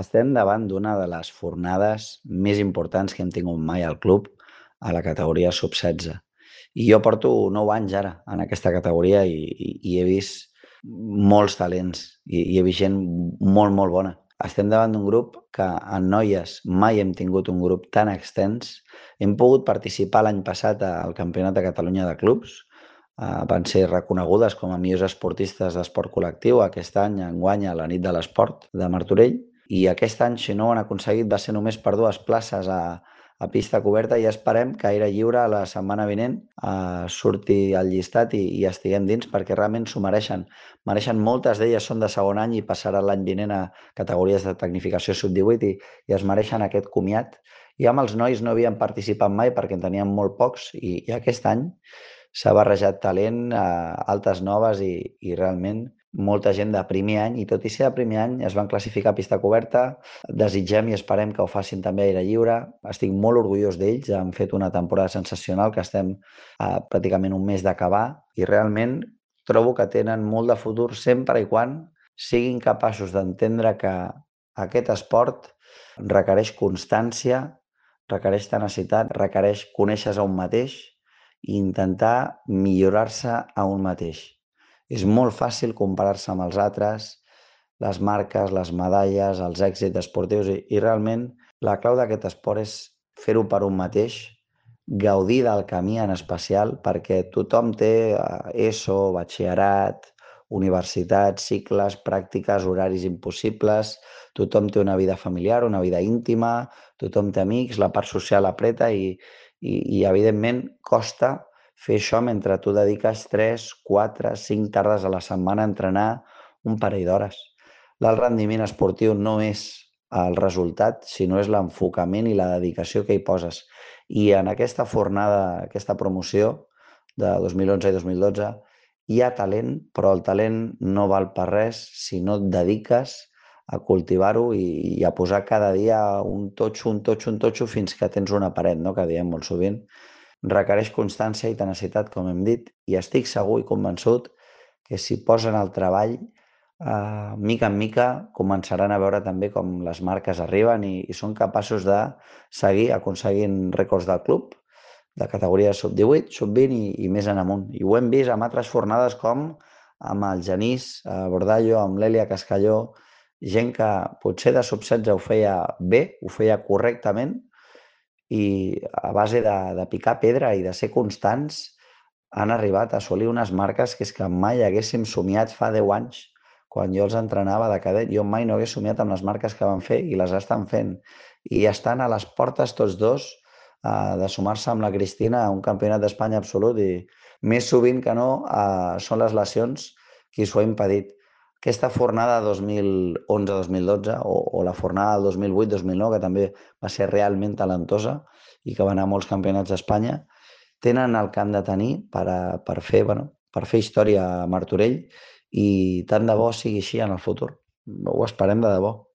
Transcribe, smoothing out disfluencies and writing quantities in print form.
Estem davant d'una de les fornades més importants que hem tingut mai al club, a la categoria sub-16. I jo porto 9 anys ara en aquesta categoria i he vist molts talents i he vist gent molt, molt bona. Estem davant d'un grup que en noies mai hem tingut un grup tan extens. Hem pogut participar l'any passat al Campionat de Catalunya de Clubs. Van ser reconegudes com a millors esportistes d'esport col·lectiu aquest any, enguany, a la nit de l'esport de Martorell. I aquest any, si no ho han aconseguit, va ser només per 2 places a pista coberta i esperem que a aire lliure la setmana vinent surti el llistat i estiguem dins perquè realment s'ho mereixen. Mereixen, moltes d'elles són de segon any i passaran l'any vinent a categories de tecnificació sub-18 i es mereixen aquest comiat. I amb els nois no havien participat mai perquè en teníem molt pocs i aquest any s'ha barrejat talent, altes noves i realment molta gent de primer any, i tot i ser de primer any es van classificar a pista coberta. Desitgem i esperem que ho facin també a aire lliure. Estic molt orgullós d'ells, han fet una temporada sensacional, que estem a pràcticament un mes d'acabar, i realment trobo que tenen molt de futur sempre i quan siguin capaços d'entendre que aquest esport requereix constància, requereix tenacitat, requereix conèixer-se a un mateix i intentar millorar-se a un mateix. És molt fàcil comparar-se amb els altres, les marques, les medalles, els èxits esportius i realment la clau d'aquest esport és fer-ho per un mateix, gaudir del camí en especial, perquè tothom té ESO, batxillerat, universitat, cicles, pràctiques, horaris impossibles, tothom té una vida familiar, una vida íntima, tothom té amics, la part social apreta i evidentment costa fer això mentre tu dediques 3, 4, 5 tardes a la setmana a entrenar un parell d'hores. L'alt rendiment esportiu no és el resultat, sinó és l'enfocament i la dedicació que hi poses. I en aquesta fornada, aquesta promoció de 2011 i 2012, hi ha talent, però el talent no val per res si no et dediques a cultivar-ho i a posar cada dia un totxo, un totxo, un totxo, fins que tens una paret, no?, que diem molt sovint. Requereix constància i tenacitat, com hem dit, i estic segur i convençut que si posen el treball, mica en mica començaran a veure també com les marques arriben i són capaços de seguir aconseguint rècords del club, de categoria sub-18, sub-20 i més en amunt. I ho hem vist amb altres fornades com amb el Genís Bordallo, amb l'Èlia Cascalló, gent que potser de sub-16 ho feia bé, ho feia correctament, i a base de picar pedra i de ser constants han arribat a assolir unes marques que és que mai haguéssim somiat fa 10 anys, quan jo els entrenava de cadet. Jo mai no hagués somiat amb les marques que van fer i les estan fent. I estan a les portes tots dos de sumar-se amb la Cristina a un campionat d'Espanya absolut i més sovint que no són les lesions qui s'ho ha impedit. Aquesta fornada 2011-2012 o la fornada del 2008-2009, que també va ser realment talentosa i que va anar a molts campionats d'Espanya, tenen el que han de tenir per fer, bueno, per fer història a Martorell i tant de bo sigui així en el futur. Ho esperem de debò.